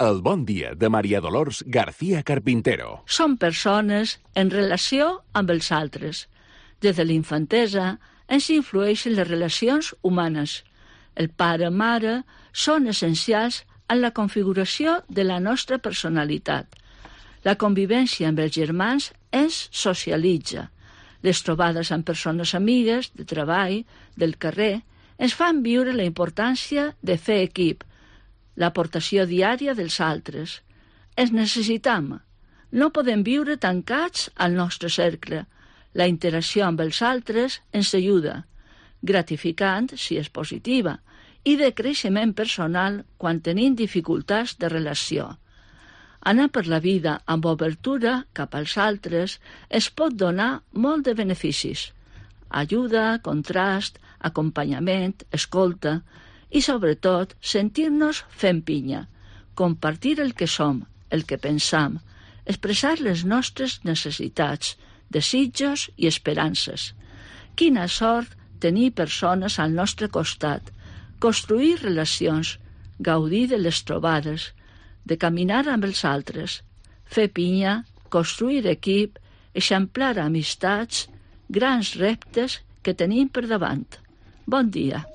El bon dia de Maria Dolors García Carpintero. Som persones en relació amb els altres. Des de l'infantesa ens influeixen les relacions humanes. El pare-mare són essencials en la configuració de la nostra personalitat. La convivència amb els germans ens socialitza. Les trobades amb persones amigues, de treball, del carrer, ens fan viure la importància de fer equip, l'aportació diària dels altres. Ens necessitam. No podem viure tancats al nostre cercle. La interacció amb els altres ens ajuda, gratificant si és positiva, i de creixement personal quan tenim dificultats de relació. Anar per la vida amb obertura cap als altres es pot donar molt de beneficis. Ajuda, contrast, acompanyament, escolta i, sobretot, sentir-nos fent pinya, compartir el que som, el que pensam, expressar les nostres necessitats, desitjos i esperances. Quina sort tenir persones al nostre costat, construir relacions, gaudir de les trobades, de caminar amb els altres, fer pinya, construir equip, eixamplar amistats, grans reptes que tenim per davant. Bon dia.